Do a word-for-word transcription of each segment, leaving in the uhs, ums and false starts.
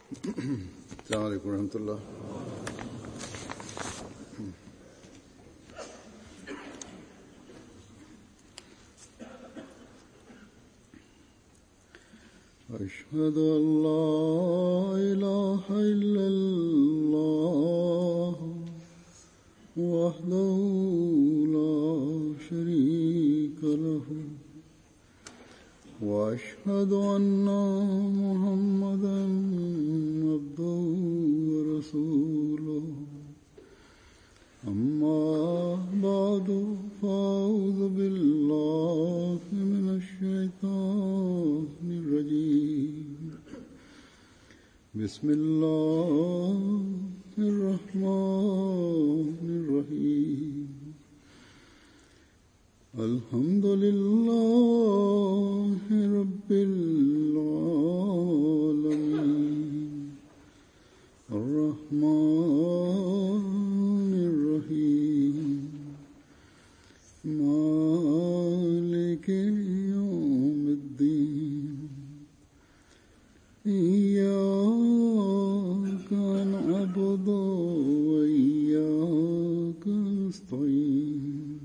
السلام عليكم ورحمة الله. أشهد أن لا إله إلا الله وحده لا شريك له وأشهد أن محمدا عبده ورسوله أما بعد فأعوذ بالله من الشيطان الرجيم بسم الله الرحمن الرحيم الحمد لله رب العالمين الرحمن الرحيم مالك يوم الدين إياك نعبد وإياك نستعين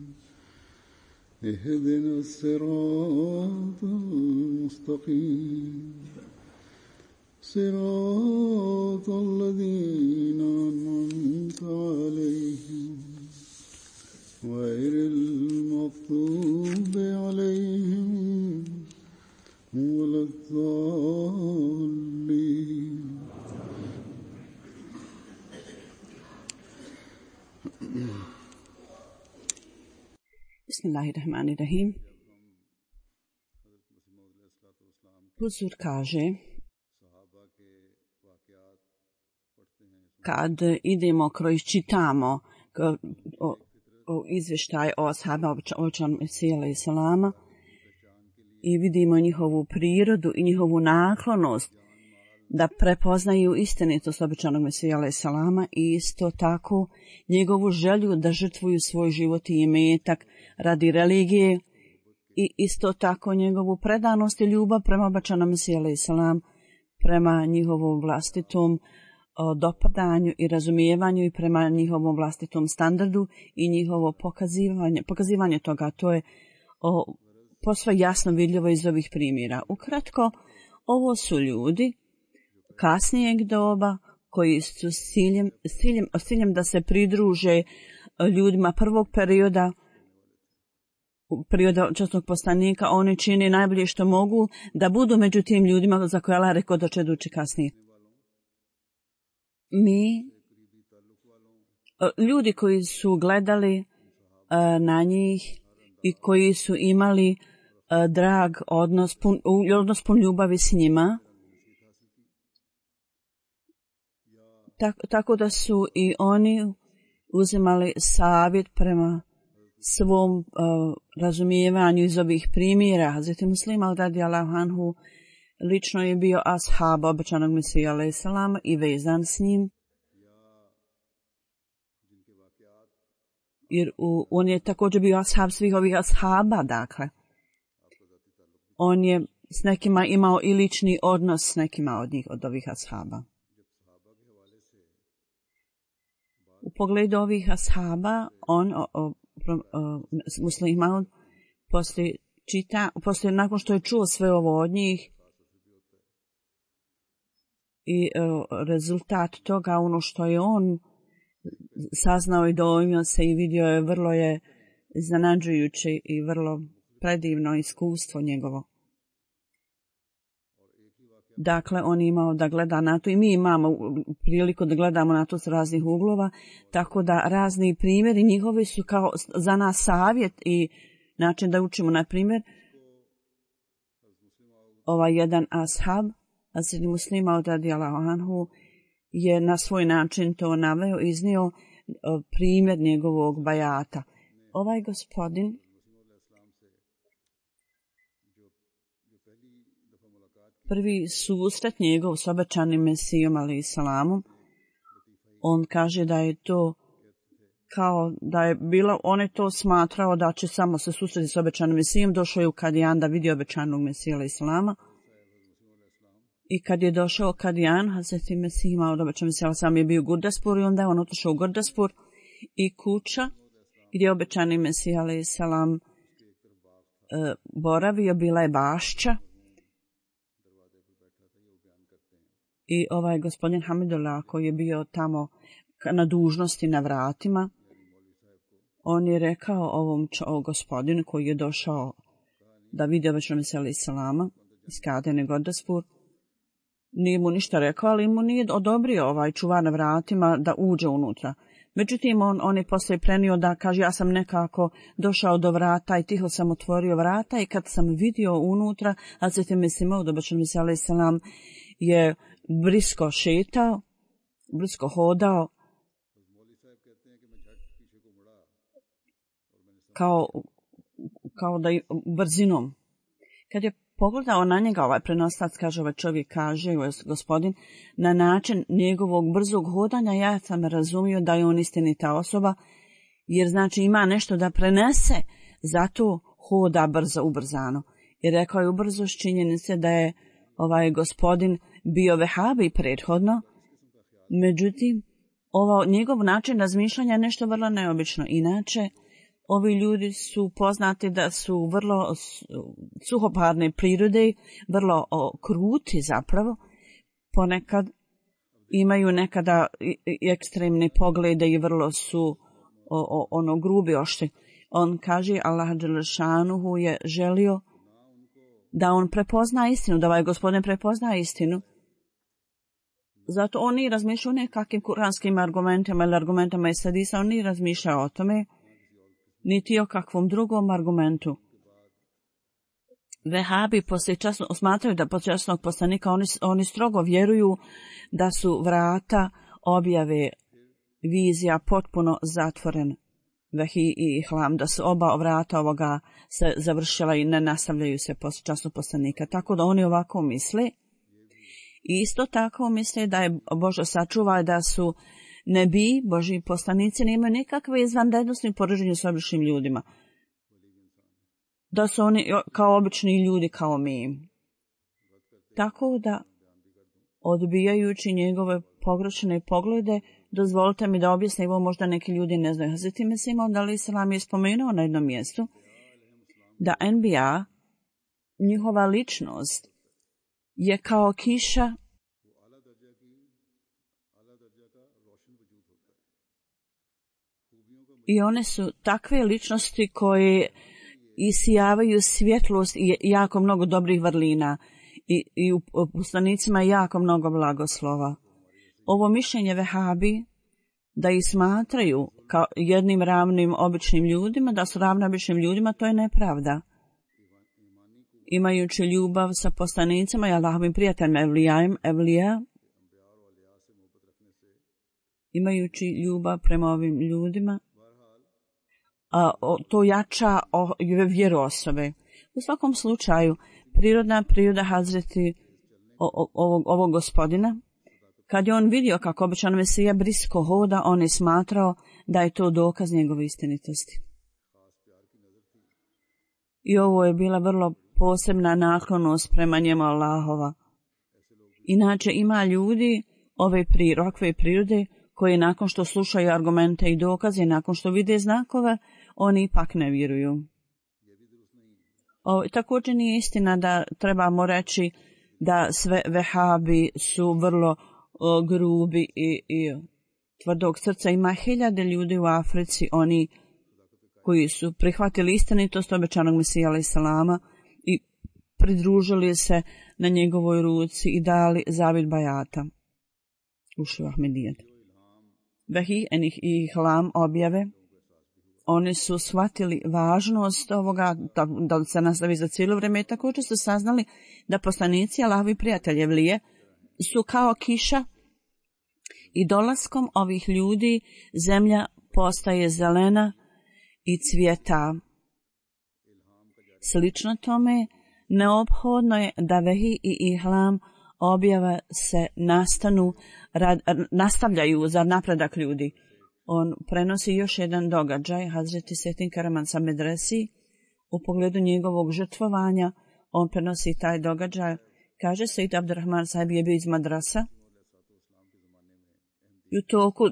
اهدنا الصراط المستقيم صراط الذين أنعمت عليهم غير المغضوب عليهم ولا الضالين. Bismillahirrahmanirrahim. Huzur kaže, kad idemo kroz čitamo o, o izvještaj o ashabima obećanog Mesija alejhi selama i vidimo njihovu prirodu i njihovu naklonost da prepoznaju istinitost obećanog Mesija alejhi selama i isto tako njegovu želju da žrtvuju svoj život i imetak radi religije i isto tako njegovu predanost i ljubav prema obećanom Mesiju alejhi selam, prema njihovom vlastitom o dopadanju i razumijevanju i prema njihovom vlastitom standardu i njihovo pokazivanje, pokazivanje toga. To je o, posve jasno vidljivo iz ovih primjera. Ukratko, ovo su ljudi kasnijeg doba koji su s ciljem, s ciljem, s ciljem da se pridruže ljudima prvog perioda, perioda časnog poslanika. Oni čini najbolje što mogu da budu među tim ljudima za koje Allah rekao da će doći kasnije. Mi, ljudi koji su gledali uh, na njih i koji su imali uh, drag odnos, pun, odnos pun ljubavi s njima, tak, tako da su i oni uzimali savjet prema svom uh, razumijevanju iz ovih primjera. Hazreti Muslima radijallahu anhu lično je bio ashab obećanog Mesija alejhi selam i vezan s njim. Jer u, on je također bio ashab svih ovih ashaba, dakle. On je s nekima imao i lični odnos s nekima od njih, od ovih ashaba. U pogledu ovih ashaba, on, o, o, o, Muslima, poslije čita, poslije nakon što je čuo sve ovo od njih, i uh, rezultat toga, ono što je on saznao i dojmio se i vidio je, vrlo je iznenađujuće i vrlo predivno iskustvo njegovo. Dakle, on je imao da gleda na to i mi imamo priliku da gledamo na to s raznih uglova, tako da razni primjeri njihovi su kao za nas savjet i način da učimo. Na primjer, ovaj jedan ashab, Hazreti Muslima radijallahu anhu, je na svoj način to naveo, iznio primjer njegovog bajata. Ovaj gospodin prvi susret njegov s obećanim Mesijom alejhi selamom, on kaže da je to kao da je bilo, on je to smatrao da će samo se susreti s obećanim Mesijom. Došao je u Kadijan da vidi obećanog Mesija alejhi selama I kad je došao Kadijan, Hazreti Mesih imao da obećan Mesih sam je bio u Gurdaspur i onda je on otišao u Gurdaspur i kuća gdje je obećani Mesih alejhi selam e, boravio, bila je bašća. I ovaj gospodin Hamidullah koji je bio tamo na dužnosti na vratima, on je rekao ovom čo, gospodinu koji je došao da vidi obećanog Mesija alejhi selama iz Kadene Gurdaspur, nije mu ništa rekao, ali mu nije odobrio ovaj čuvar na vratima da uđe unutra. Međutim, on, on je poslije prenio da kaže, ja sam nekako došao do vrata i tiho sam otvorio vrata i kad sam vidio unutra, Hazreti Mesih Maud obećanog Mesija alejhi selam je brisko šetao, brisko hodao, kao, kao da je brzinom. Kad je pogledao na njega, ovaj prenoslac, kaže, ovaj čovjek kaže, ovaj gospodin, na način njegovog brzog hodanja, ja sam razumio da je on istinita osoba, jer znači ima nešto da prenese, zato hoda brzo, ubrzano. I rekao je ubrzo s činjenice da je ovaj gospodin bio vehabi prethodno, međutim, ovo, njegov način razmišljanja je nešto vrlo neobično. Inače, ovi ljudi su poznati da su vrlo suhoparne prirode, vrlo o, kruti zapravo, ponekad imaju nekada i, i ekstremne poglede i vrlo su o, o, ono grubi oštri. On kaže, Allah dželešanuhu je želio da on prepozna istinu, da ovaj gospodin prepozna istinu. Zato on nije razmišljao o nekakvim kuranskim argumentima ili argumentama iz hadisa, on nije razmišljao o tome, niti o kakvom drugom argumentu. Vehabi poslije časno, smatraju da poslije časnog poslanika oni, oni strogo vjeruju da su vrata objave vizija potpuno zatvoren. Vehi i ihlam, da su oba vrata ovoga se završila i ne nastavljaju se poslije časnog poslanika. Tako da oni ovako misle. I isto tako misle da je Bože sačuva da su nebi, Božji poslanici, nemaju nikakve izvanrednosti u poređenju s običnim ljudima. Da su oni kao obični ljudi, kao mi. Tako da, odbijajući njegove pogrešne poglede, dozvolite mi da objasnim, ovo možda neki ljudi ne znaju. Hazreti Mesih Maud alejhi selam je spomenuo na jednom mjestu da en bi a, njihova ličnost, je kao kiša i one su takve ličnosti koje isijavaju svjetlost i jako mnogo dobrih vrlina i, i u poslanicima jako mnogo blagoslova. Ovo mišljenje vehabi da ih smatraju kao jednim ravnim običnim ljudima, da su ravni običnim ljudima, to je nepravda. Imajući ljubav sa poslanicima i Allahovim prijateljima evlijajem, evlija, imajući ljubav prema ovim ljudima, a, o, to jača o, vjeru osobe. U svakom slučaju, prirodna priroda Hazreti o, o, ovog, ovog gospodina, kad je on vidio kako obećan Mesija brisko hoda, on je smatrao da je to dokaz njegove istinitosti. I ovo je bila vrlo posebna naklonost prema njemu Allahova. Inače ima ljudi ove prirokve prirode koji nakon što slušaju argumente i dokaze, nakon što vide znakove, oni ipak ne vjeruju. O, također nije istina da trebamo reći da sve vehabi su vrlo o, grubi i, i tvrdog srca. Ima hiljade ljudi u Africi, oni koji su prihvatili istinitost obećanog Mesija alejhi selama i pridružili se na njegovoj ruci i dali zavjet bajata. Ušli u Ahmedijet. Vehi enih i ihlam objave. Oni su shvatili važnost ovoga, da, da se nastavi za cijelo vrijeme i također su saznali da poslanici Allahovi prijatelji evlije su kao kiša i dolaskom ovih ljudi zemlja postaje zelena i cvjeta. Slično tome, neophodno je da vehi i ihlam objave se nastanu, rad, nastavljaju za napredak ljudi. On prenosi još jedan događaj, Hazreti Setin Karaman sa Medresi, u pogledu njegovog žrtvovanja, on prenosi taj događaj Kaže se, Said Abdurrahman sahib je bio iz madrasa. I u toku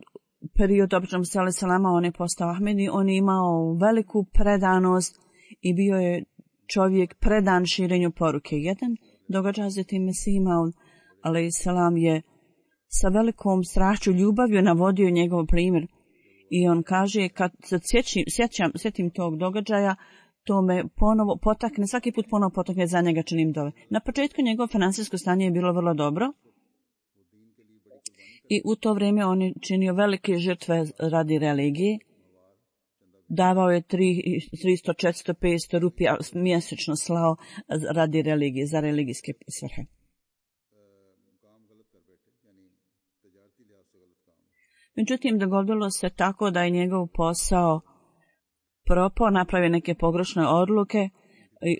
perioda običnom sali salama on je postao Ahmedi, on je imao veliku predanost i bio je čovjek predan širenju poruke. Jedan događaj za tim Mesih Maud, alejhi selam, je sa velikom strašću ljubavlju navodio njegov primjer. I on kaže, kad se sjećam, sjećam, sjetim tog događaja, to me ponovo potakne, svaki put ponovo potakne, za njega činim dove. Na početku njegovo financijsko stanje je bilo vrlo dobro i u to vrijeme on je činio velike žrtve radi religije. Davao je tristo, četiristo, petsto rupija mjesečno slao radi religije, za religijske svrhe. Međutim, dogodilo se tako da je njegov posao propao, napravio neke pogrešne odluke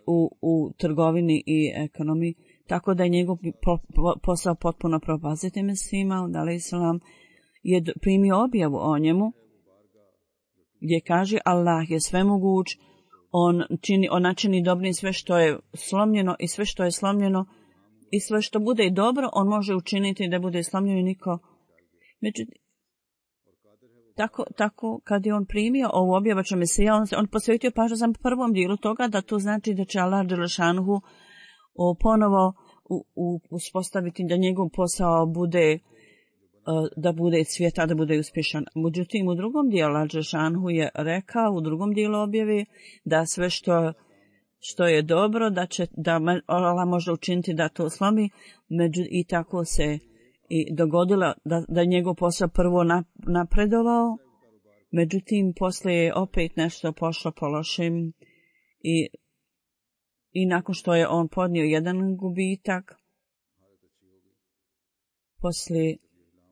u, u trgovini i ekonomiji, tako da je njegov po, po, posao potpuno propaziti Mesima, alejhi selam, je primio objavu o njemu, gdje kaže Allah je svemoguć, on čini, on načini dobrim sve što je slomljeno i sve što je slomljeno i sve što bude dobro, on može učiniti da bude slomljeno i niko. Međutim, Tako, tako kad je on primio ovu objavu Mesija, on, on posvetio pažnju sam prvom dijelu toga da to znači da će Allah dželešanuhu ponovo u, u, uspostaviti da njegov posao bude da bude cvjeta, da bude uspješan. Međutim, u drugom dijelu Allah dželešanuhu je rekao, u drugom dijelu objave, da sve što, što je dobro, da će da Allah može učiniti da to slomi, među, i tako se i dogodilo da, da je njegov posao prvo napredovao, međutim poslije je opet nešto pošlo po lošem i, i nakon što je on podnio jedan gubitak, poslije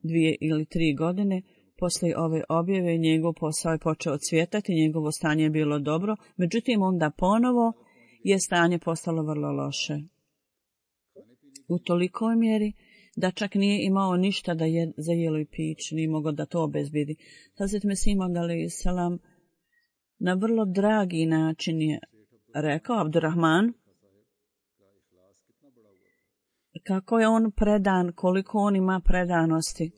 dvije ili tri godine, poslije ove objave njegov posao je počeo cvjetati, njegovo stanje je bilo dobro, međutim onda ponovo je stanje postalo vrlo loše. U tolikoj mjeri da čak nije imao ništa da je za jelo i pić, nije mogao da to obezbedi. Hazret Mesih Maud alejhi selam na vrlo dragi način je rekao Abdurrahman kako je on predan, koliko on ima predanosti.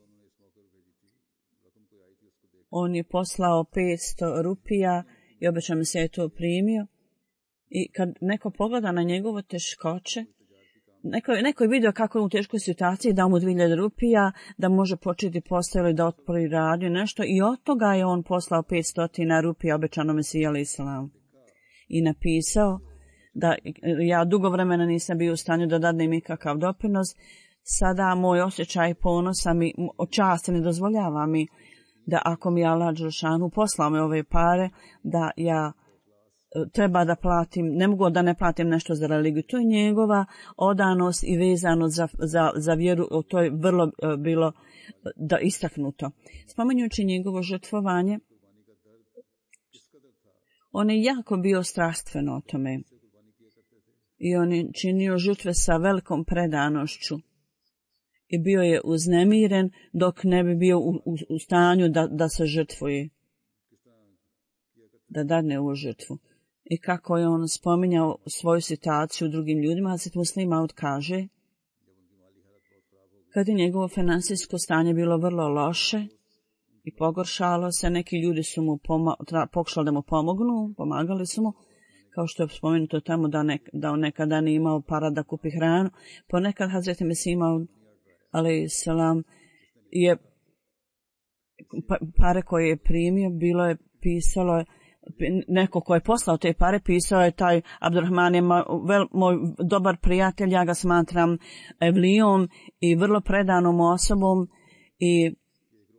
On je poslao petsto rupija i obećao mi se je to primio. I kad neko pogleda na njegovo teškoće, Neko, neko je vidio kako je u teškoj situaciji, dao mu dvije hiljade rupija, da može početi posao ili da otvori radio nešto i od toga je on poslao petsto rupija obećanom Mesiji alejhi selam. I napisao da ja dugo vremena nisam bio u stanju da dadnem ikakav doprinos, sada moj osjećaj ponosa mi, časti ne dozvoljava mi da ako mi Allah dželešanu poslao me ove pare, da ja treba da platim, ne mogu da ne platim nešto za religiju. To je njegova odanost i vezanost za, za, za vjeru, to je vrlo bilo da istaknuto. Spomenjući njegovo žrtvovanje, on je jako bio strastveno o tome i on je činio žrtve sa velikom predanošću i bio je uznemiren dok ne bi bio u, u, u stanju da, da se žrtvuje, da dadne ovu žrtvu. I kako je on spominjao svoju situaciju drugim ljudima, Hazret Muslih Maud kaže, kad je njegovo finansijsko stanje bilo vrlo loše i pogoršalo se, neki ljudi su mu poma- pokušali da mu pomognu, pomagali su mu, kao što je spomenuto tamo da, nek- da on nekada nije imao para da kupi hranu. Ponekad Hazret Mesih Maud alejhi selam je pare koje je primio, bilo je pisalo je neko ko je poslao te pare, pisao je taj Abdurrahman je moj, vel, moj dobar prijatelj, ja ga smatram evlijom i vrlo predanom osobom i,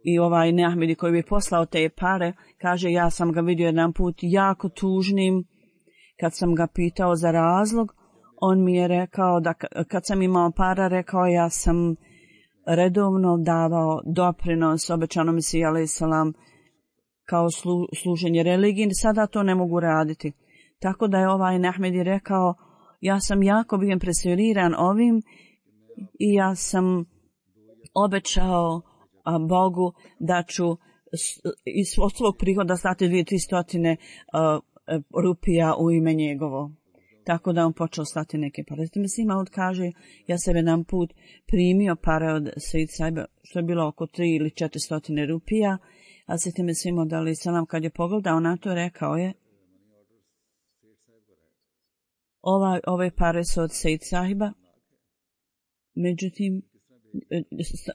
i ovaj Neahmedi koji bi poslao te pare, kaže ja sam ga vidio jedan put jako tužnim, kad sam ga pitao za razlog, on mi je rekao da kad sam imao para, rekao ja sam redovno davao doprinos obećanom Mesiji alejhi selam kao slu, služenje religiji, sada to ne mogu raditi. Tako da je ovaj Neahmedi rekao, ja sam jako bio impresioniran ovim i ja sam obećao a, Bogu da ću iz svog prihoda stati dvije tri stotine rupija u ime njegovo. tako da on počeo slati neke pare. Zatim Mesih Maud kaže, ja sam jedan put primio pare od Sejid Saiba, što je bilo oko tri ili četiri stotine rupija, a zatim Mesih Maud alejhi selam kad je pogledao na to, rekao je, ova, ove pare su od Sejid Sahiba, međutim,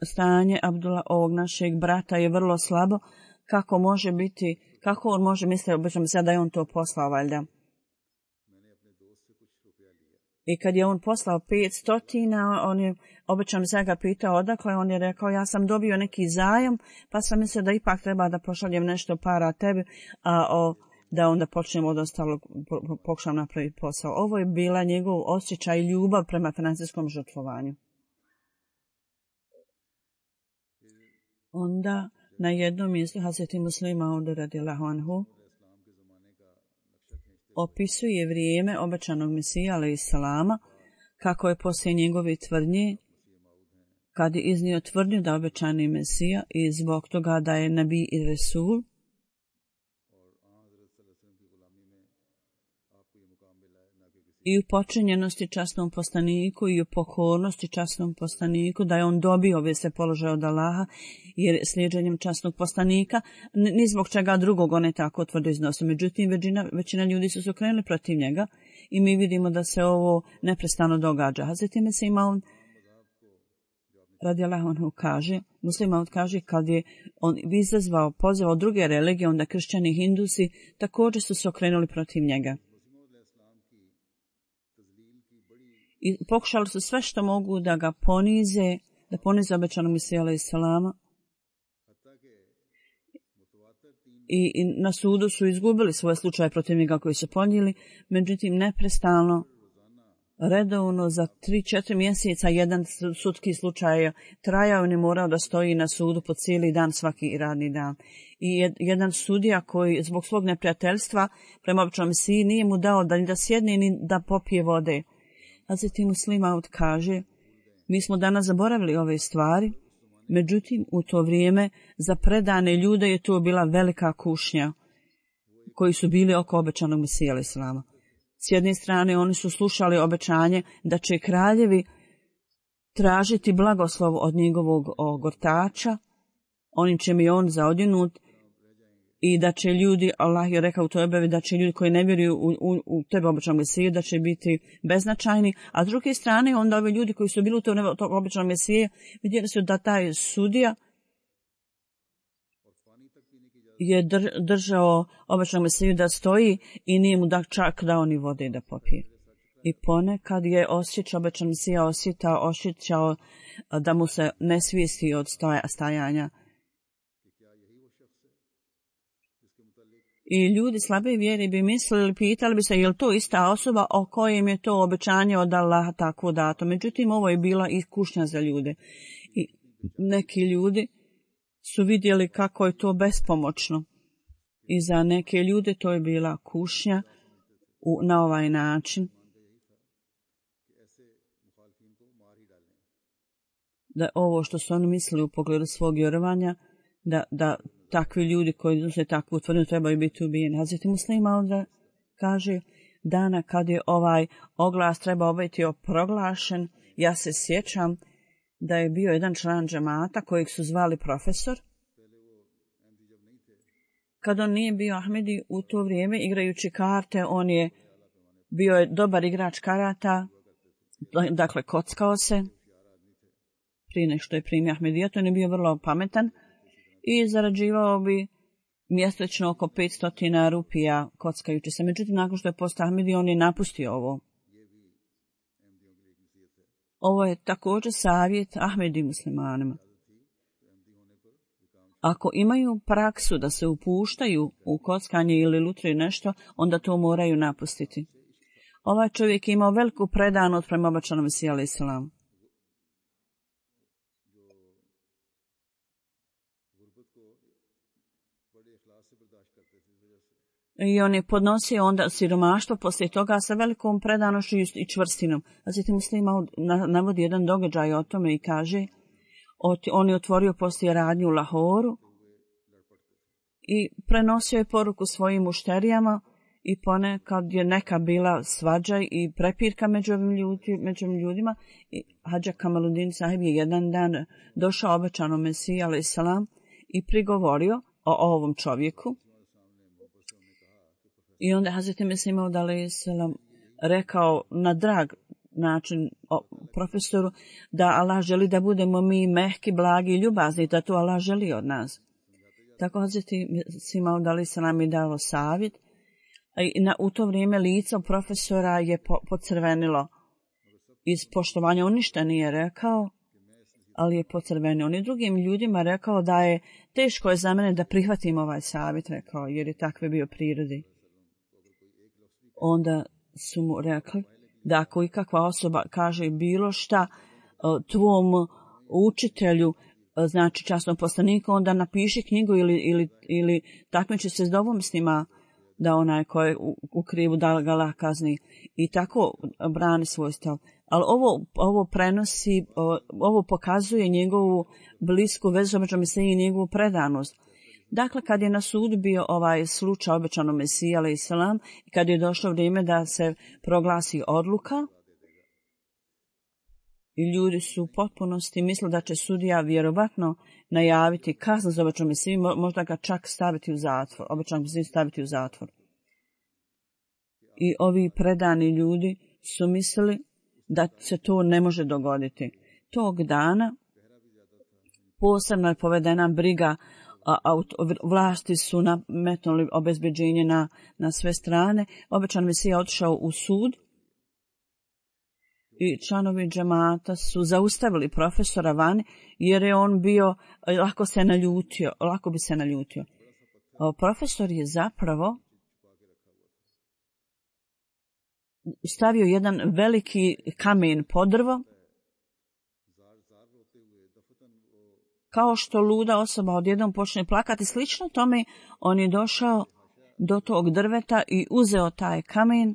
stanje Abdullah, ovog našeg brata, je vrlo slabo. Kako može biti, kako on može misliti, obično se da je on to poslao, valjda. I kad je on poslao petstotina, on je, obično se ga pitao odakle, on je rekao, ja sam dobio neki zajam, pa sam mislio da ipak treba da pošaljem nešto para tebi, a o, da onda počnemo od ostalog, pokušam napraviti posao. Ovo je bila njegov osjećaj i ljubav prema financijskom žrtvovanju. Onda na jednom mjestu Hazreti Muslima Maud radijallahu anhu opisuje vrijeme obećanog Mesija alejhi selama, kako je poslije njegove tvrdnje, kad je iznio tvrdnju da obećani Mesija i zbog toga da je Nabi i Resul, i u počinjenosti časnom poslaniku i u pokornosti časnom poslaniku, da je on dobio ove se položaje od Allaha, jer slijedženjem časnog poslanika, ni zbog čega drugog on je tako tvrdo iznosio. Međutim, većina, većina ljudi su se okrenuli protiv njega i mi vidimo da se ovo neprestano događa. Hazreti Mesih Maud radijallahu anhu kaže, Muslim Maud kaže, kad je on izazvao, pozvao druge religije, onda kršćani i hindusi također su se okrenuli protiv njega. I pokušali su sve što mogu da ga ponize, da ponize obećanog Mesija alejhi selama. I, I na sudu su izgubili svoje slučaje protiv njega koji su ponijeli, međutim neprestalno, redovno za tri četiri mjeseca jedan sudski slučaj trajao i ne morao da stoji na sudu po cijeli dan, svaki radni dan. I jedan sudija koji zbog svog neprijateljstva prema obećanom Mesiji nije mu dao da ni da sjedne ni da popije vode. Hazreti Muslim Maud kaže, mi smo danas zaboravili ove stvari, međutim u to vrijeme za predane ljude je to bila velika kušnja koji su bili oko obećanog Mesija alejhi selama. S jedne strane oni su slušali obećanje da će kraljevi tražiti blagoslov od njegovog gortača, onim čim je on zaodjenut, i da će ljudi, Allah je rekao u toj objavi, da će ljudi koji ne vjeruju u, u, u tebe obećanog Mesiju, da će biti beznačajni, a s druge strane onda ovi ljudi koji su bili u toj obećanog Mesije vidjeli su da taj sudija je dr, držao obećanog Mesiju da stoji i nije mu da čak dao ni vode da popije. I ponekad je osjećao obećanog Mesija, osjetao, osjećao da mu se ne svijesti od stajanja. I ljudi slabe vjere bi mislili, pitali bi se, je li to ista osoba o kojem je to obećanje od Allaha tako dato. Međutim, ovo je bila i kušnja za ljude. I neki ljudi su vidjeli kako je to bespomoćno. I za neke ljude to je bila kušnja u, na ovaj način. Da ovo što su oni mislili u pogledu svog vjerovanja, da, da takvi ljudi koji iznose takvu tvrdnju trebaju biti ubijeni. Hazreti Muslim Maud kaže, dana kad je ovaj oglas trebao biti proglašen, ja se sjećam da je bio jedan član džemata kojeg su zvali profesor. Kad on nije bio Ahmedi u to vrijeme igrajući karte, on je bio je dobar igrač karata, dakle kockao se prije nego što je primio Ahmedija, to je bio vrlo pametan i zarađivao bi mjesečno oko petsto rupija kockajući se. Međutim, nakon što je postao Ahmedi, on je napustio ovo. Ovo je također savjet Ahmedi muslimanima. Ako imaju praksu da se upuštaju u kockanje ili lutriju nešto, onda to moraju napustiti. Ovaj čovjek je imao veliku predanost prema obećanom Mesiju alejhi selam. I on je podnosio onda siromaštvo poslije toga sa velikom predanošću i čvrstinom. Zatim Muslim Maud navodi jedan događaj o tome i kaže, on je otvorio poslije radnju u Lahoru i prenosio je poruku svojim mušterijama i ponekad je neka bila svađa i prepirka među ovim ljudi, među ovim ljudima. I Hadža Kamaluddin sahib je jedan dan došao obećanom Mesiji alejhi selam i prigovorio o ovom čovjeku. I onda Hazreti Mesih Maud alejhi selam rekao na drag način o profesoru da Allah želi da budemo mi mehki, blagi i ljubazni, da to Allah želi od nas. Tako Hazreti Mesih Maud alejhi selam je dao savjet. I na, u to vrijeme lice profesora je po, pocrvenilo iz poštovanja. On ništa nije rekao, ali je pocrvenio. On je drugim ljudima rekao da je teško je za mene da prihvatim ovaj savjet, rekao, jer je takve bio prirodi. Onda su mu rekli da ako ikakva osoba kaže bilo šta tvom učitelju, znači časnom poslaniku, onda napiši knjigu ili, ili, ili takmiči se s dovom s njima, da onaj ko je u, u krivu da ga Allah kazni. I tako brani svoj stav. Ali ovo, ovo prenosi, ovo pokazuje njegovu blisku vezu među Mesiji i njegovu predanost. Dakle, kad je na sud bio ovaj slučaj obećanom Mesiji alejhi selam i kad je došlo vrijeme da se proglasi odluka, i ljudi su u potpunosti mislili da će sudija vjerovatno najaviti kaznu za obećanog Mesiju, možda ga čak staviti u zatvor, obećanog Mesiju staviti u zatvor. I ovi predani ljudi su mislili da se to ne može dogoditi. Tog dana posebno je povedena briga, a, a vlasti su nametnuli obezbeđenje na, na sve strane. Obećan Mesija otišao u sud i članovi džemata su zaustavili profesora vani jer je on bio, lako se naljutio, lako bi se naljutio. O, profesor je zapravo stavio jedan veliki kamen pod drvo, kao što luda osoba odjednom počne plakati. Slično tome on je došao do tog drveta i uzeo taj kamen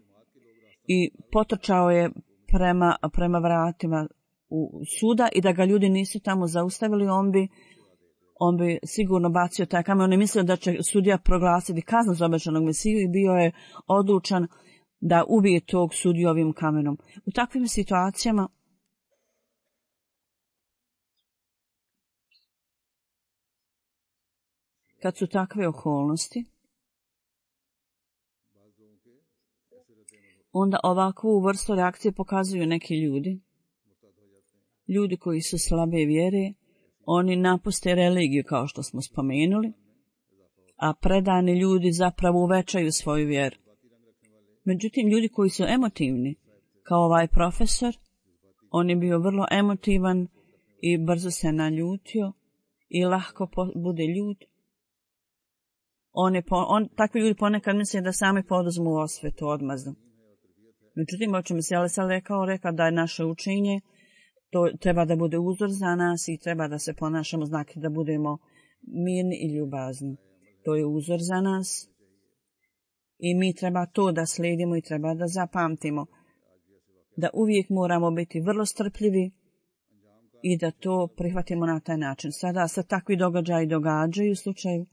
i potrčao je prema, prema vratima u suda i da ga ljudi nisu tamo zaustavili, on bi, on bi sigurno bacio taj kamen. On je mislio da će sudija proglasiti kaznu za obećanog Mesiju i bio je odlučan da ubije tog sudiju ovim kamenom. U takvim situacijama kad su takve okolnosti, onda ovakvu vrstu reakcije pokazuju neki ljudi. Ljudi koji su slabe vjere, oni napuste religiju kao što smo spomenuli, a predani ljudi zapravo uvećaju svoju vjeru. Međutim, ljudi koji su emotivni, kao ovaj profesor, on je bio vrlo emotivan i brzo se naljutio i lahko bude ljut. On je po, on, takvi ljudi ponekad misle da sami poduzmu osvetu, odmazdu. Međutim, o čemu se Alisa rekao, rekao da je naše učenje, to treba da bude uzor za nas i treba da se ponašamo znaki da budemo mirni i ljubazni. To je uzor za nas i mi treba to da slijedimo i treba da zapamtimo. Da uvijek moramo biti vrlo strpljivi i da to prihvatimo na taj način. Sada se takvi događaji događaju u slučaju.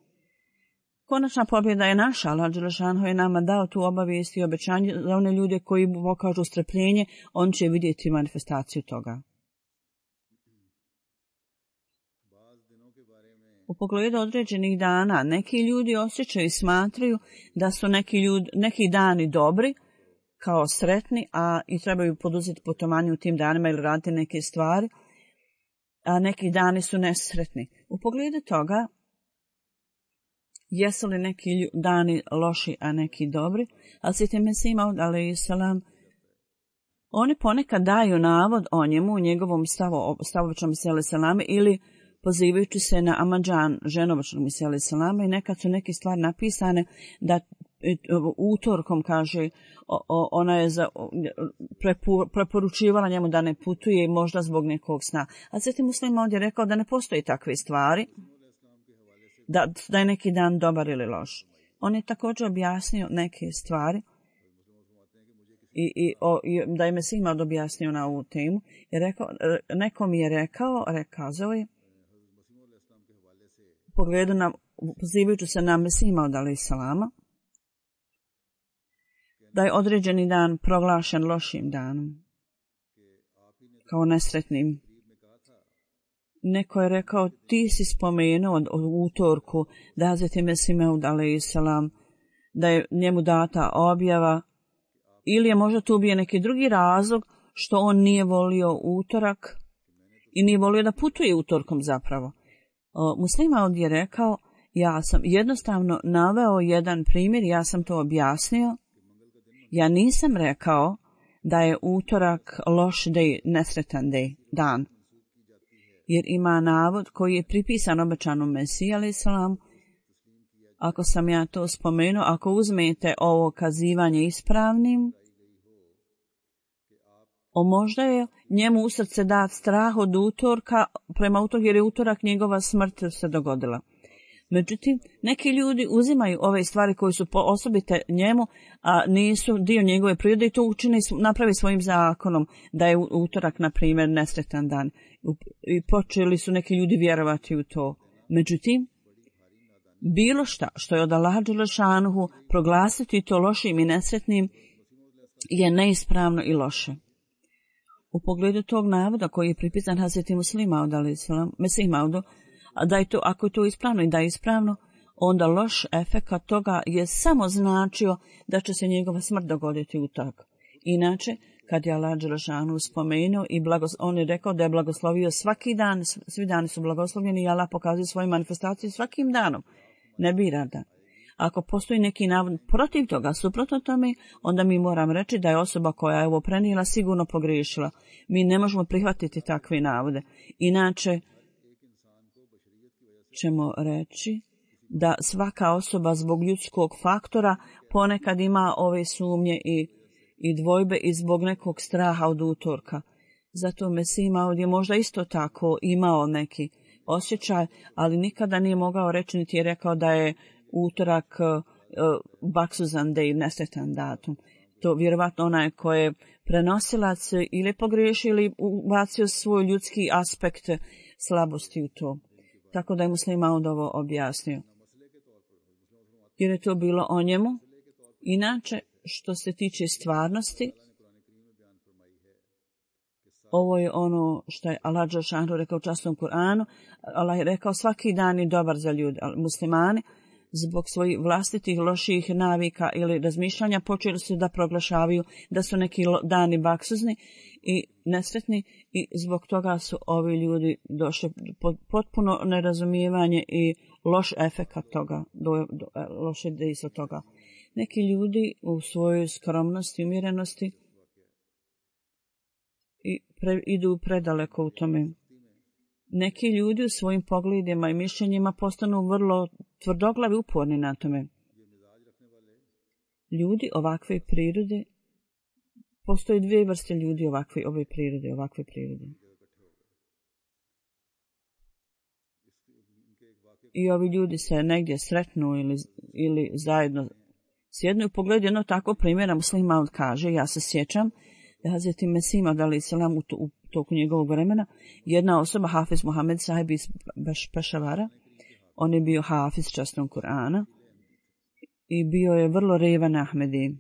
Konačna pobjeda je naša, Allah dželešanu je nama dao tu obavijest i obećanje za one ljude koji pokažu strpljenje, on će vidjeti manifestaciju toga. U pogledu određenih dana, neki ljudi osjećaju i smatraju da su neki, ljudi, neki dani dobri, kao sretni, a i trebaju poduzeti putovanje u tim danima ili raditi neke stvari, a neki dani su nesretni. U pogledu toga, jesu li neki dani loši, a neki dobri, ali Sveti Mesih Maud alejhi selam, oni ponekad daju navod o njemu, u njegovom stavu, stavovičnom Mesih alejhi selam, ili pozivajući se na Amadžan, ženovičnog Mesih alejhi selam, i nekad su neke stvari napisane da utorkom, kaže, ona je za, preporučivala njemu da ne putuje možda zbog nekog sna. A Sveti Muslim Maud je rekao da ne postoji takve stvari, Da, da je neki dan dobar ili loš. On je također objasnio neke stvari i, i, o, i da je Mesih Maud objasnio na ovu temu. I rekao, neko mi je rekao, rekazao je, u pogledu na, pozivajući se na Mesih Maud alejhi selama, da je određeni dan proglašen lošim danom, kao nesretnim. Neko je rekao, ti si spomenuo u utorku da Hazreti Mesih Maud alejhiselam da je njemu data objava, ili je možda tu bio neki drugi razlog što on nije volio utorak i nije volio da putuje utorkom zapravo. Muslim Maud je rekao, ja sam jednostavno naveo jedan primjer, ja sam to objasnio. Ja nisam rekao da je utorak loš dej, nesretan dej, dan. Jer ima navod koji je pripisan obećanom Mesiji alejhiselam. Ako sam ja to spomenuo, ako uzmete ovo kazivanje ispravnim, o možda je njemu u srce dat strah od utorka, prema utorku, jer je utorak njegova smrt se dogodila. Međutim, neki ljudi uzimaju ove stvari koje su osobite njemu, a nisu dio njegove prirode i to učine, napravi svojim zakonom, da je utorak, na primjer, nesretan dan. I počeli su neki ljudi vjerovati u to. Međutim, bilo šta što je od Allaha dželešanuhu proglasiti to lošim i nesretnim je neispravno i loše. U pogledu tog navoda koji je pripisan Hazreti Muslimu Maudu alejhiselam, Mesih Maudu, da je to, ako je to ispravno i da je ispravno, onda loš efekat toga je samo značio da će se njegova smrt dogoditi u tak. Inače, kad je Allah dželešanu spomenuo i blagos, on je rekao da je blagoslovio svaki dan, svi dani su blagoslovljeni i Allah pokazuje svoje manifestacije svakim danom. Ne bira da. Ako postoji neki navod protiv toga, suprotno tome, onda mi moram reći da je osoba koja je ovo prenijela sigurno pogriješila. Mi ne možemo prihvatiti takve navode. Inače, ćemo reći da svaka osoba zbog ljudskog faktora ponekad ima ove sumnje i, i dvojbe i zbog nekog straha od utorka. Zato Mesih Maud je možda isto tako imao neki osjećaj, ali nikada nije mogao reći, niti je rekao da je utorak uh, baksuzan dej, nesretan datum. To vjerovatno onaj ko je prenosilac ili pogriješio ili ubacio svoj ljudski aspekt slabosti u to. Tako da je Muslim Maud ovo objasnio. Jer je to bilo o njemu. Inače, što se tiče stvarnosti, ovo je ono što je Allah dželešanu rekao u časnom Kur'anu. Allah je rekao svaki dan je dobar za ljude. Muslimani zbog svojih vlastitih loših navika ili razmišljanja počeli su da proglašavaju da su neki dani baksuzni i nesretni i zbog toga su ovi ljudi došli pod potpuno nerazumijevanje i loš efekat toga, do, do, loše dejstvo toga. Neki ljudi u svojoj skromnosti i umjerenosti i pre, idu predaleko u tome. Neki ljudi u svojim pogledima i mišljenjima postanu vrlo tvrdoglavi, uporni na tome. Ljudi ovakve prirode, postoje dvije vrste ljudi ovakve ove prirode, ovakve prirode. I ovi ljudi se negdje sretnu ili, ili zajedno sjednu. U pogledu jedno tako primjera Muslim Maud kaže, ja se sjećam da Hazreti Mesih Maud alejhiselam u, u toku njegovog vremena, jedna osoba, Hafiz Muhammed sahib iz Pešavara, on je bio hafiz časnog Kur'ana i bio je vrlo revan Ahmedi.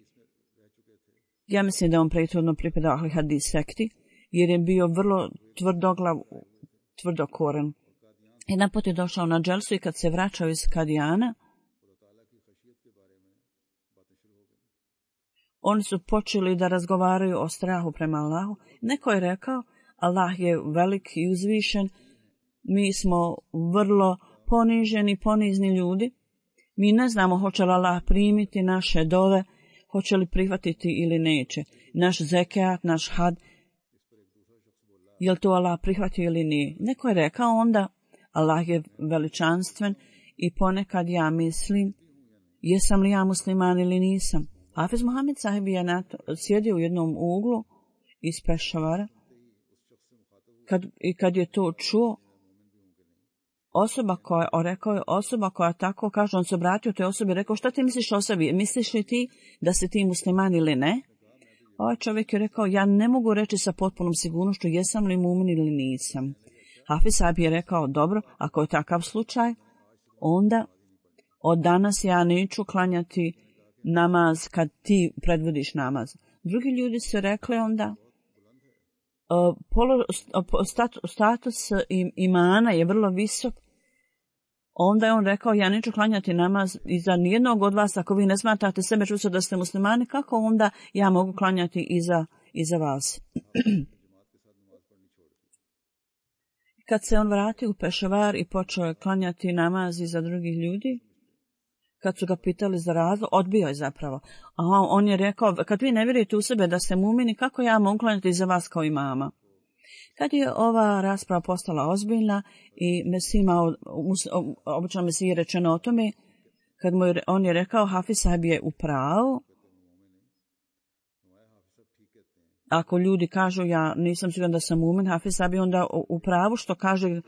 Ja mislim da on prethodno pripadao Ahli Hadis sekti, jer je bio vrlo tvrdoglav, tvrdokoren. Jedan put je došao na dželsu i kad se vraćao iz Kadijana, oni su počeli da razgovaraju o strahu prema Allahu. Neko je rekao, Allah je velik i uzvišen, mi smo vrlo poniženi, ponizni ljudi. Mi ne znamo hoće li Allah primiti naše dove, hoće li prihvatiti ili neće. Naš zekat, naš had, je li to Allah prihvatio ili nije. Neko je rekao onda, Allah je veličanstven i ponekad ja mislim, jesam li ja musliman ili nisam. Hafiz Muhammed sahib je sjedio u jednom uglu iz Pešavara. Kad, I kad je to čuo, osoba koja, rekao je osoba koja tako kaže, on se obratio toj osobi i rekao, šta ti misliš o sebi? Misliš li ti da si ti musliman ili ne? Ovaj čovjek je rekao, ja ne mogu reći sa potpunom sigurnošću jesam li mu'min ili nisam. Hafiz sahib je rekao, dobro, ako je takav slučaj, onda od danas ja neću klanjati namaz kad ti predvodiš namaz. Drugi ljudi su rekli onda uh, polo, status, status imana je vrlo visok. Onda je on rekao, ja neću klanjati namaz iza nijednog od vas, ako vi ne smatrate sebe čusto da ste muslimani, kako onda ja mogu klanjati iza, iza vas? Kad se on vratio u Pešavar i počeo je klanjati namaz iza drugih ljudi, kad su ga pitali za razlog, odbio je zapravo. A on je rekao, kad vi ne vjerujete u sebe da ste mumini, kako ja mogu klanjati iza vas kao imama? Kad je ova rasprava postala ozbiljna i Mesima, obično Mesiji rečeno o tome, kad mu je, on je rekao, Hafiz sahib je u pravu. Ako ljudi kažu, ja nisam siguran da sam mumin, Hafiz sahib je onda u pravu što kaže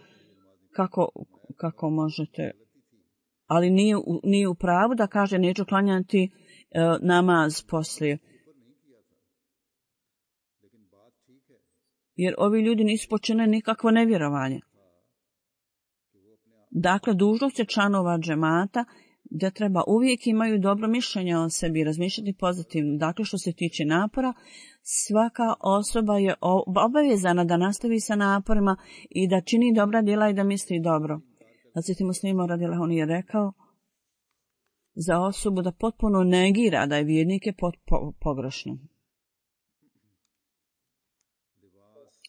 kako, kako možete. Ali nije, nije u pravu da kaže neću klanjati uh, namaz poslije. Jer ovi ljudi nisu počinili nikakvo nevjerovanje. Dakle, dužnost je članova džemata da treba uvijek imaju dobro mišljenje o sebi i razmišljati pozitivno. Dakle, što se tiče napora, svaka osoba je obavezana da nastavi sa naporima i da čini dobra djela i da misli dobro. Hazreti Muslima radijallahu anhu je rekao za osobu da potpuno negira da je vjernik je pot, po, pogrešno.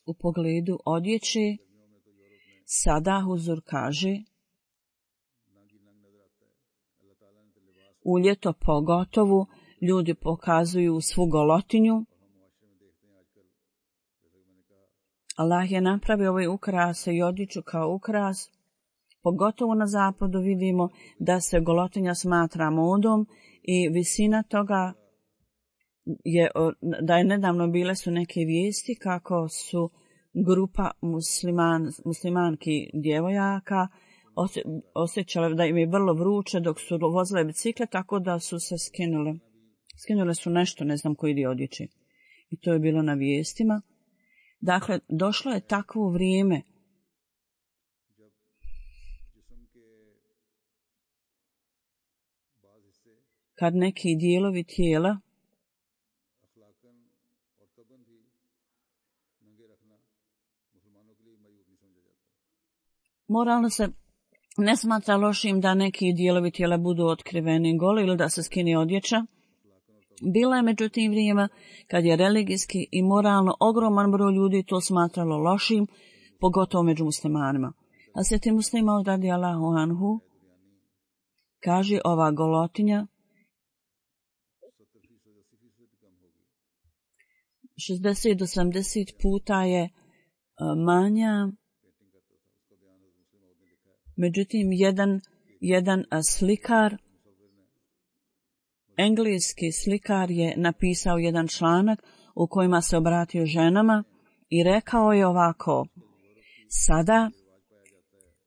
U pogledu odjeće, sada Huzur kaže, u ljeto pogotovo ljudi pokazuju svu golotinju. Allah je napravio ovaj ukrase i odjeću kao ukras. Pogotovo na zapadu vidimo da se golotinja smatra modom i visina toga je, da je nedavno bile su neke vijesti kako su grupa musliman, muslimanki djevojaka osjećale da im je vrlo vruće dok su vozile bicikle, tako da su se skinule. Skinule su nešto, ne znam koji dio odjeće. I to je bilo na vijestima. Dakle, došlo je takvo vrijeme kad neki dijelovi tijela moralno se ne smatra lošim da neki dijelovi tijela budu otkriveni goli ili da se skine odjeća. Bila je međutim vrijeme kad je religijski i moralno ogroman broj ljudi to smatralo lošim, pogotovo među muslimanima. A sveti Muslima radijallahu anhu kaže ova golotinja šezdeset do sedamdeset puta je manja. Međutim, jedan, jedan slikar, engleski slikar je napisao jedan članak u kojima se obratio ženama i rekao je ovako, sada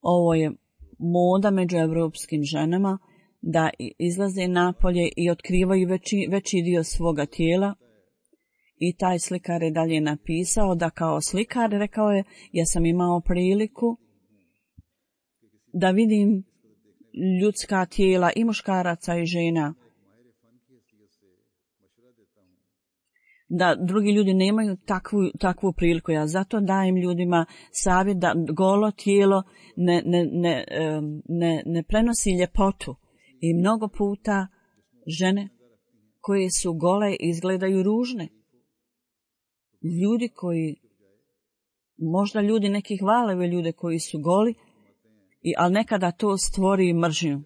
ovo je moda među evropskim ženama da izlaze napolje i otkrivaju veći, veći dio svoga tijela. I taj slikar je dalje napisao da kao slikar, rekao je, ja sam imao priliku da vidim ljudska tijela i muškaraca i žena. Da drugi ljudi nemaju takvu, takvu priliku. Ja zato dajem ljudima savjet da golo tijelo ne, ne, ne, ne, ne prenosi ljepotu. I mnogo puta žene koje su gole izgledaju ružne. Ljudi koji, možda ljudi neki hvale ljude koji su goli, i, ali nekada to stvori mržnju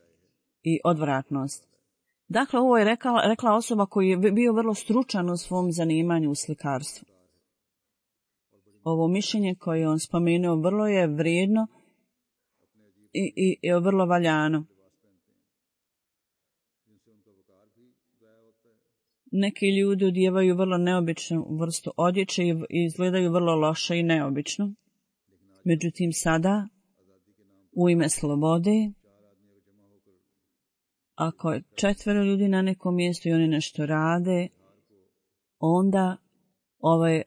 i odvratnost. Dakle, ovo je rekla, rekla osoba koji je bio vrlo stručan u svom zanimanju u slikarstvu. Ovo mišljenje koje on spomenuo vrlo je vrijedno i, i, i vrlo valjano. Neki ljudi odijevaju vrlo neobičnu vrstu odjeće i izgledaju vrlo loše i neobično. Međutim, sada, u ime slobode, ako je četvero ljudi na nekom mjestu i oni nešto rade, onda, ovaj,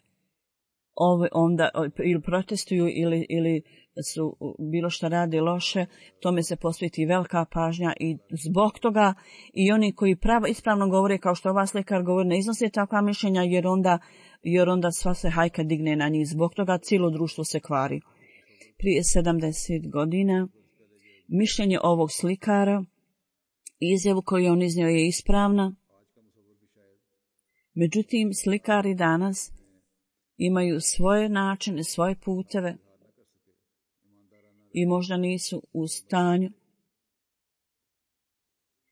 ovaj, onda ili protestuju ili, ili su bilo što rade loše, tome se posveti velika pažnja i zbog toga i oni koji pravo ispravno govore, kao što ova slikar govori, ne iznose takva mišljenja jer onda, jer onda sva se hajka digne na njih. Zbog toga cijelo društvo se kvari. Prije sedamdeset godina mišljenje ovog slikara, izjavu koju on iznio je ispravna. Međutim, slikari danas imaju svoje načine, svoje puteve i možda nisu u stanju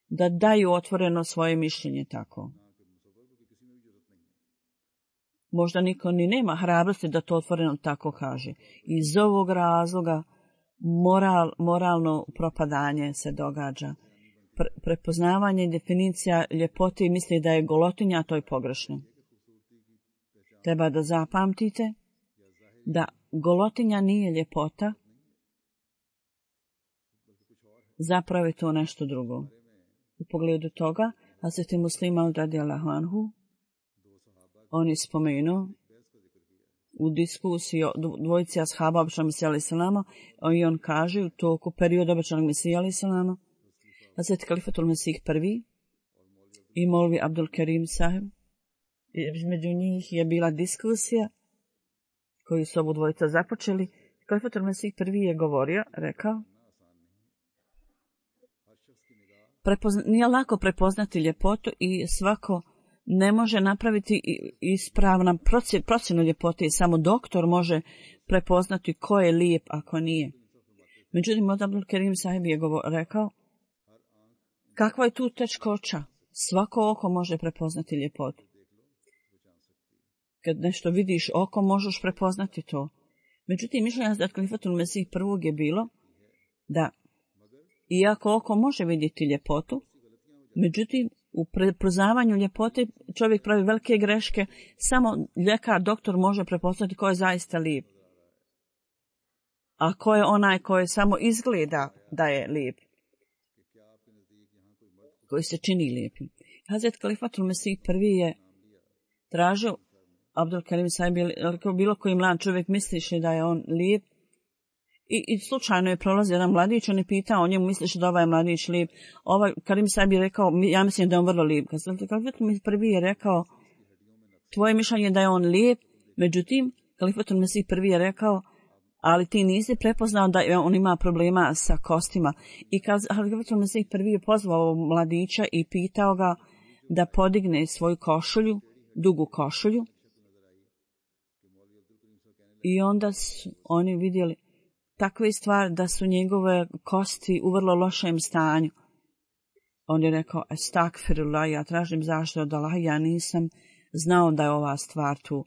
da daju otvoreno svoje mišljenje tako. Možda niko ni nema hrabrosti da to otvoreno tako kaže. Iz ovog razloga moral, moralno propadanje se događa. Pre, prepoznavanje definicija ljepote i misli da je golotinja, a to je pogrešno. Treba da zapamtite da golotinja nije ljepota, zapravo je to nešto drugo. U pogledu toga, Hazreti Muslima radijallahu anhu, on je spomenuo u diskusiji o dvojici ashaba običnog Mesija alejhi selama i on kaže u toku perioda običnog Mesija alejhi selama, Hazreti Kalifatul Mesih prvi i Molvi Abdul Kerim sahib, između njih je bila diskusija koju su obu dvojica započeli. Kalifatul Mesih prvi je govorio, rekao, prepozna, nije lako prepoznati ljepotu i svako ne može napraviti ispravna procjenu ljepote i samo doktor može prepoznati ko je lijep, ako nije. Međutim, od Abdul Kerim sahib je govor, rekao, kakva je tu teškoća? Svako oko može prepoznati ljepotu. Kad nešto vidiš oko, možeš prepoznati to. Međutim, mišljenja od Kalifatul Mesih prvog je bilo da iako oko može vidjeti ljepotu, međutim, u prepoznavanju ljepote čovjek pravi velike greške, samo ljekar, doktor može prepoznati ko je zaista lijep. A ko je onaj koji samo izgleda da je lijep, koji se čini lijepim. Hazret Kalifatul Mesih prvi je tražio Abdul Kerim sahib, bilo koji mlad čovjek misliš da je on lijep, I, i slučajno je prolazio jedan mladić, on je pitao o njemu, misliš da ovaj mladić lijep? Ovaj Karim sahib je rekao, ja mislim da je on vrlo lijep. Kalifatul Mesih prvi je rekao, tvoje mišljenje je da je on lijep, međutim, Kalifatul Mesih prvi je rekao, ali ti nisi prepoznao da on ima problema sa kostima. I Kalifatul Mesih prvi je pozvao mladića i pitao ga da podigne svoju košulju, dugu košulju. I onda su oni vidjeli takve stvari da su njegove kosti u vrlo lošem stanju. On je rekao, estakfirullah, ja tražim zaštitu od Allaha, ja nisam znao da je ova stvar tu.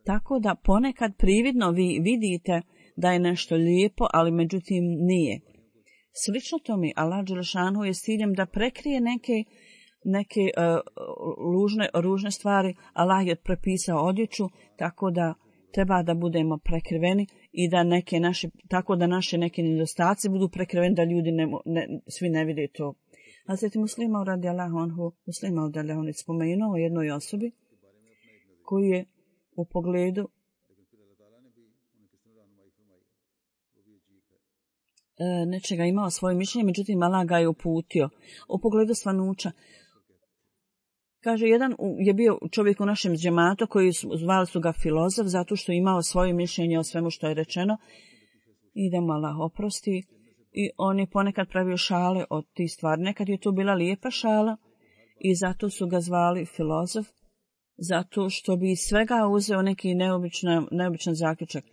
Tako da ponekad prividno vi vidite da je nešto lijepo, ali međutim nije. Slično tome, Allah dželešanu je s ciljem da prekrije neke, neke uh, lužne, ružne stvari. Allah je prepisao odjeću, tako da treba da budemo prekriveni i da neke naše, tako da naše neke nedostaci budu prekriveni, da ljudi ne, ne, svi ne vide to. Hazreti Muslima radijallahu anhu, Muslima radijallahu anhu spomenuo o jednoj osobi koji je u pogledu e, nečega imao svoje mišljenje, međutim Allah ga je uputio. U pogledu svanuća, kaže, jedan je bio čovjek u našem džematu koji su, zvali su ga filozof zato što je imao svoje mišljenje o svemu što je rečeno i da mu Allah oprosti. I on je ponekad pravio šale od tih stvari. Nekad je to bila lijepa šala i zato su ga zvali filozof, zato što bi iz svega uzeo neki neobičan, neobičan zaključak.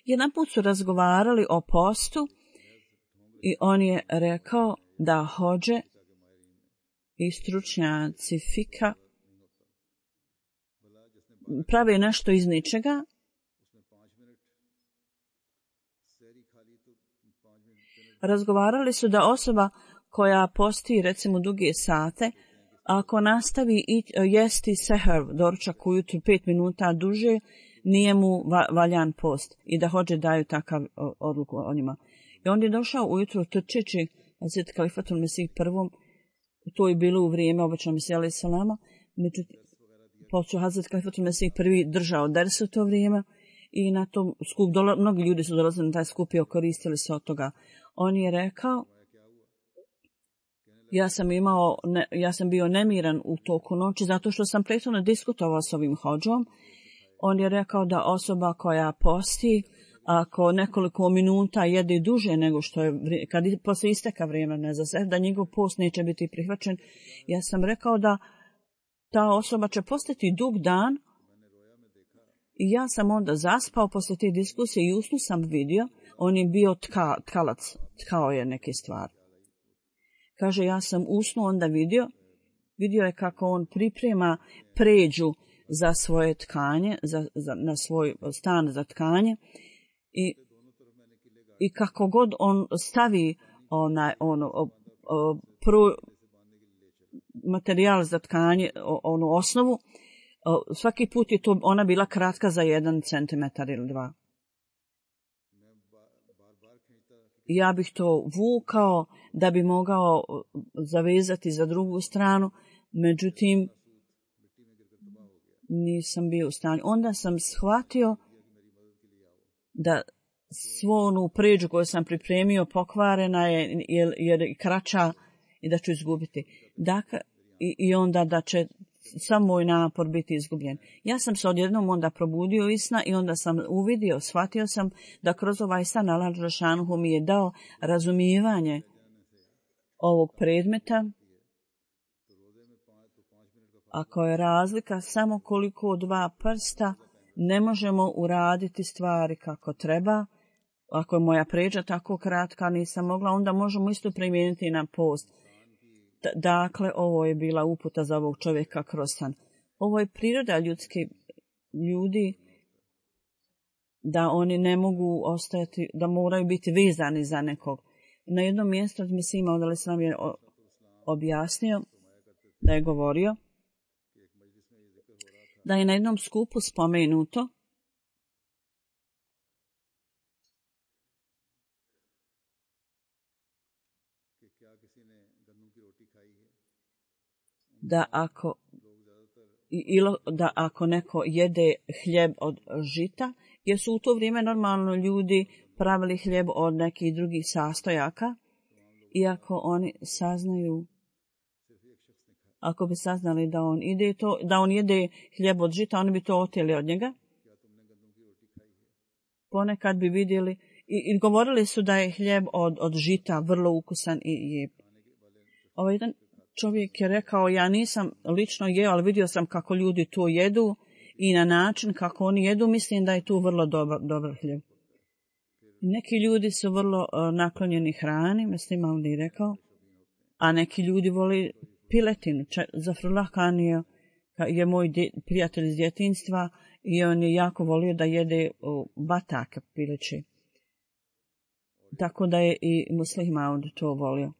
Jedan put su razgovarali o postu i on je rekao da hodže i stručnjaci fika prave nešto iz ničega razgovarali su da osoba koja posti recimo duge sate, ako nastavi i jesti seher, doručak ujutru pet minuta duže, nije mu valjan post i da hođe daju takav odluku o njima. I on je došao ujutru trčeći Hazret Kalifatul Mesih prvom, to je bilo u vrijeme običnog Mesija alejhi selama, međutim, počeo Hazret Kalifatul Mesih prvi držao ders u to vrijeme i na tom skup, dola, mnogi ljudi su dolazili na taj skup i koristili se od toga. On je rekao, ja sam imao, ne, ja sam bio nemiran u toku noći zato što sam prethodno diskutovao s ovim hodžom. On je rekao da osoba koja posti, ako nekoliko minuta jede duže nego što je, kad posle isteka vremena za sebe, da njegov post neće biti prihvaćen. Ja sam rekao da ta osoba će postati dug dan i ja sam onda zaspao posle te diskusije i usnu sam vidio, on je bio tka, tkalac, tkao je neke stvari. Kaže, ja sam usnu onda vidio, vidio je kako on priprema pređu za svoje tkanje, za, za, na svoj stan za tkanje i, i kako god on stavi onaj, ono, o, o, pro, materijal za tkanje, o, onu osnovu, o, svaki put je to ona bila kratka za jedan centimetar ili dva. Ja bih to vukao da bi mogao zavezati za drugu stranu, međutim, nisam bio u stanju. Onda sam shvatio da svo onu pređu koju sam pripremio pokvarena je jer, jer je kraća i da ću izgubiti. Dakle, i, i onda da će sam moj napor biti izgubljen. Ja sam se odjednom onda probudio iz sna i onda sam uvidio, shvatio sam da kroz ovaj san Allah dželešanuhu mi je dao razumijevanje ovog predmeta. Ako je razlika samo koliko dva prsta, ne možemo uraditi stvari kako treba. Ako je moja pređa tako kratka, nisam mogla, onda možemo isto primijeniti na post. Dakle, ovo je bila uputa za ovog čovjeka kroz san. Ovo je priroda ljudski ljudi da oni ne mogu ostajati, da moraju biti vezani za nekog. Na jednom mjestu od Mesima od Al-Islam je objasnio da je govorio da je na jednom skupu spomenuto da ako, ilo, da ako neko jede hljeb od žita, jer su u to vrijeme normalno ljudi pravili hljeb od nekih drugih sastojaka, i ako oni saznaju, ako bi saznali da on ide to, da on jede hljeb od žita, oni bi to oteli od njega. Ponekad bi vidjeli i, i govorili su da je hljeb od, od žita vrlo ukusan i lijep. Ovaj jedan čovjek je rekao, ja nisam lično jeo, ali vidio sam kako ljudi to jedu i na način kako oni jedu, mislim da je tu vrlo dobar, dobar hljeb. Neki ljudi su vrlo uh, naklonjeni hrani, mislim, on je rekao, a neki ljudi voli piletinu. Zafrullah Khan je, je moj dje, prijatelj iz djetinjstva i on je jako volio da jede uh, batake pileće. Tako da je i Muslih Maud to volio.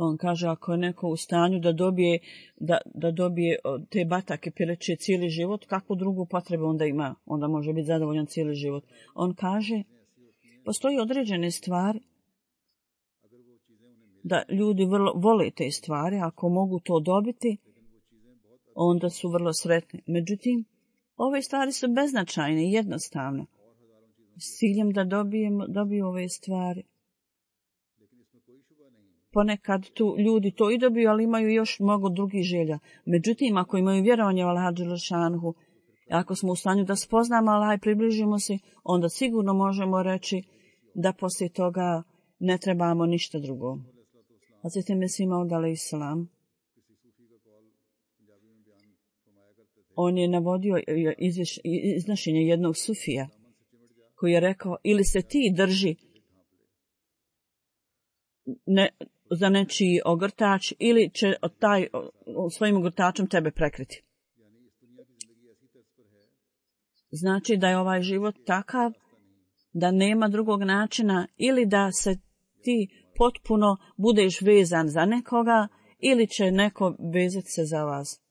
On kaže, ako je neko u stanju da dobije, da, da dobije te batake pileće cijeli život, kakvu drugu potrebu onda ima? Onda može biti zadovoljan cijeli život. On kaže, postoji određene stvari da ljudi vrlo vole te stvari, ako mogu to dobiti, onda su vrlo sretni. Međutim, ove stvari su beznačajne i jednostavne. S ciljem da dobijemo, dobiju ove stvari. Ponekad tu ljudi to i dobiju, ali imaju još mnogo drugih želja. Međutim, ako imaju vjerovanje u Allaha dželešanuhu, ako smo u stanju da spoznamo Allaha i približimo se, onda sigurno možemo reći da poslije toga ne trebamo ništa drugo. Hazreti Mesih Maud alejselam, on je navodio iznošenje jednog sufija koji je rekao, ili se ti drži ne, za nečiji ogrtač, ili će taj svojim ogrtačem tebe prekriti. Znači da je ovaj život takav da nema drugog načina, ili da se ti potpuno budeš vezan za nekoga, ili će neko vezati se za vas.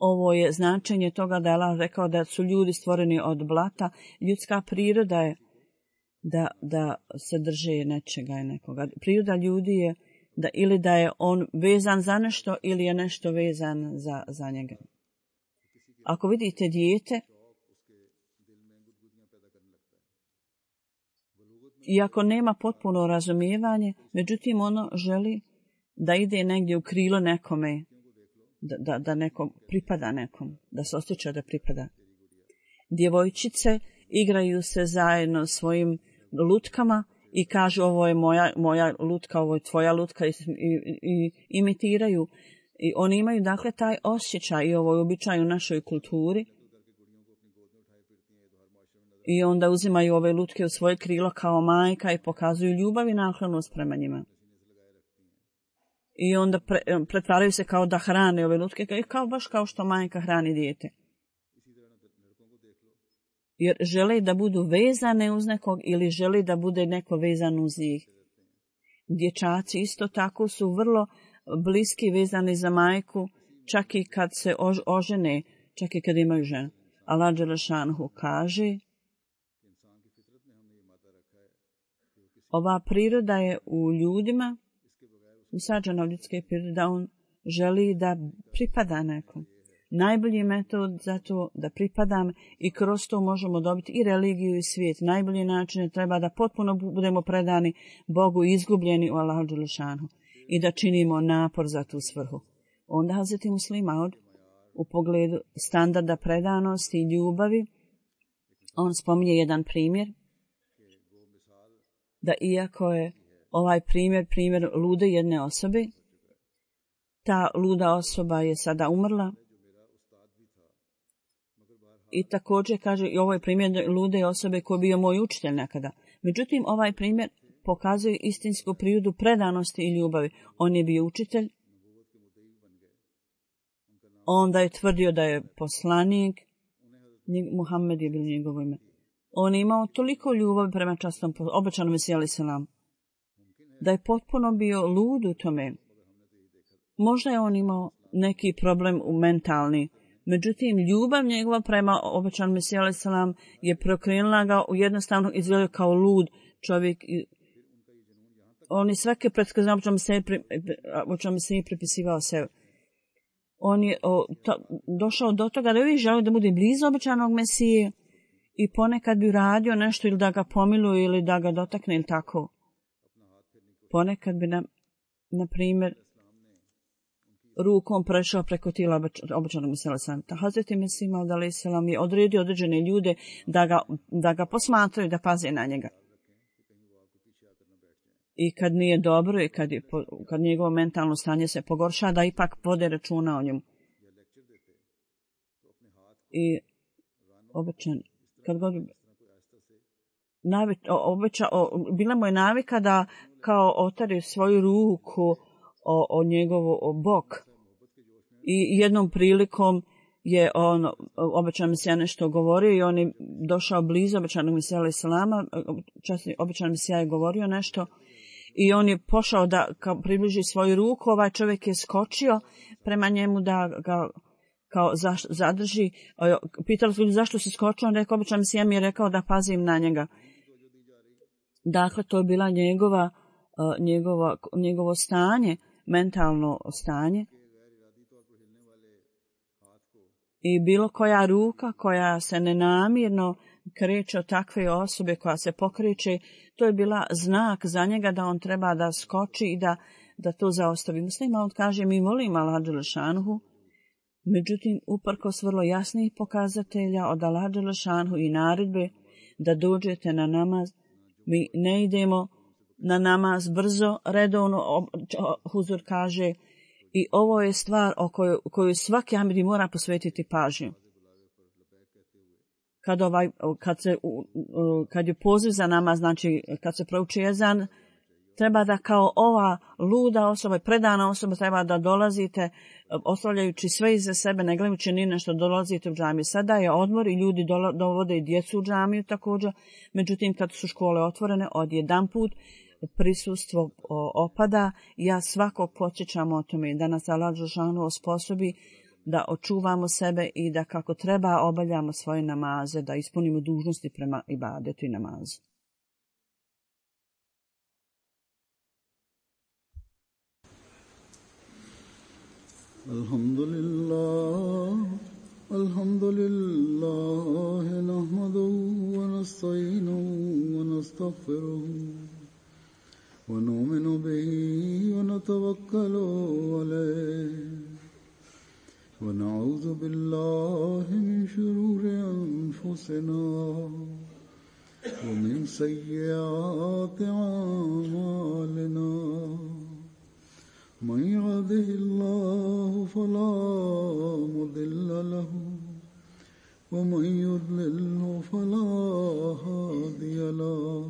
Ovo je značenje toga da je Allah rekao da su ljudi stvoreni od blata. Ljudska priroda je da, da se drže nečega i nekoga. Priroda ljudi je da ili da je on vezan za nešto ili je nešto vezan za, za njega. Ako vidite dijete, iako nema potpuno razumijevanje, međutim ono želi da ide negdje u krilo nekome, da, da, da neko pripada nekom, da se osjeća da pripada. Djevojčice igraju se zajedno svojim lutkama i kažu ovo je moja, moja lutka, ovo je tvoja lutka i, i, i imitiraju. I oni imaju dakle taj osjećaj i ovo je običaj u našoj kulturi. I onda uzimaju ove lutke u svoje krilo kao majka i pokazuju ljubav i naklonost prema njima. I onda pre, pretvaraju se kao da hrane ove lutke, kao baš kao što majka hrani dijete. Jer žele da budu vezane uz nekog ili žele da bude neko vezan uz njih. Dječaci isto tako su vrlo bliski vezani za majku, čak i kad se ožene, čak i kad imaju ženu. Allah dželešanhu kaže, ova priroda je u ljudima, usađena u ljudske prirode, da on želi da pripada nekom. Najbolji metod za to da pripadam i kroz to možemo dobiti i religiju i svijet. Najbolji način je treba da potpuno budemo predani Bogu i izgubljeni u Allahu dželešanu i da činimo napor za tu svrhu. Onda Hazreti Muslima od u pogledu standarda predanosti i ljubavi, on spominje jedan primjer, da iako je ovaj primjer, primjer lude jedne osobe, ta luda osoba je sada umrla. I također kaže, i ovo je primjer lude osobe koji je bio moj učitelj nekada. Međutim, ovaj primjer pokazuje istinsku prirodu predanosti i ljubavi. On je bio učitelj, onda je tvrdio da je poslanik, Muhammed je bilo njegovo ime. On je imao toliko ljubavi prema častom obećanom Mesiji alejhi selam, da je potpuno bio lud u tome. Možda je on imao neki problem u mentalni, međutim, ljubav njegova prema obećanom Mesiji alejhi selam je prokrenula ga, jednostavno izgledao kao lud čovjek. On je svake predskazne obećanom Mesiji pripisivao sebe. On je o, to, došao do toga da uvijek želio da bude blizu obećanog Mesije i ponekad bi uradio nešto ili da ga pomiluje ili da ga dotakne ili tako. Ponekad bi, na, na primjer, rukom prešao preko tijela obećanog Mesija alejhi selam. Hazreti Mesih alejhi selam je odredio određene ljude da ga, da ga posmatraju, da paze na njega. I kad nije dobro i kad, je, kad njegovo mentalno stanje se pogorša, da ipak vode računa o njemu. I obećan, kad god navi, obeća, o, bila mu je navika da kao otari svoju ruku o, o njegovu o bok. I jednom prilikom je on, obećan Mesija nešto govorio i on je došao blizu obećanog Mesija alejhi selama, obećan Mesija je govorio nešto i on je pošao da kao približi svoju ruku, ovaj čovjek je skočio prema njemu da ga kao zaš, zadrži. Pitali su ljudi zašto si skočio, on rekao, obećan Mesija mi je rekao da pazim na njega. Dakle, to je bila njegova, njegova, njegovo stanje, mentalno stanje. I bilo koja ruka koja se nenamirno kreće od takve osobe koja se pokreće, to je bila znak za njega da on treba da skoči i da, da to zaostavi. Muslima on kaže, mi volimo Allaha dželešanuhu, međutim, uprkos vrlo jasnih pokazatelja od Allaha dželešanuhu i naredbe da dođete na namaz, mi ne idemo na namaz brzo, redovno, huzur kaže, i ovo je stvar o kojoj, kojoj svaki Ahmedi mora posvetiti pažnju. Kad, ovaj, kad, se, kad je poziv za namaz, znači kad se prouči ezan, treba da kao ova luda osoba, predana osoba, treba da dolazite, ostavljajući sve iza sebe, ne gledajući ni nešto, dolazite u džamiju. Sada je odmor i ljudi dovode i djecu u džamiju također, međutim kad su škole otvorene, odjedan put prisustvo opada. Ja svakog podsjećam o tome da nas Allah dželešanu osposobi da očuvamo sebe i da kako treba obavljamo svoje namaze, da ispunimo dužnosti prema ibadetu i namazu. الحمد لله الحمد لله نحمده ونستعينه ونستغفره ونؤمن به ونتوكل عليه ونعوذ بالله من شرور أنفسنا ومن سيئات أعمالنا من يهده الله فلا مضل له ومن يضلله فلا هادي له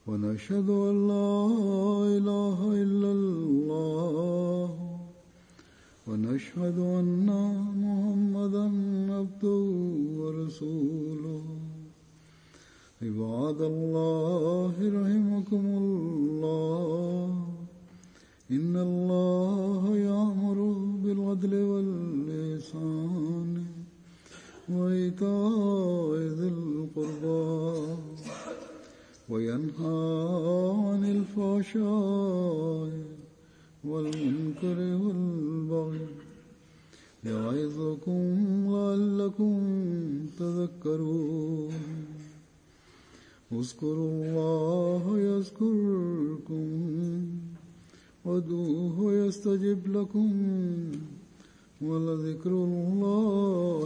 ونشهد أن لا إله إلا الله ونشهد أن محمدا عبده ورسوله عباد الله رحمكم الله إن الله يأمر بالعدل والإحسان وإيتاء ذي القربى وينهى عن الفحشاء والمنكر والبغي يعظكم لعلكم تذكرون اذكروا الله يذكركم وادعوه يستجب لكم ولذكر الله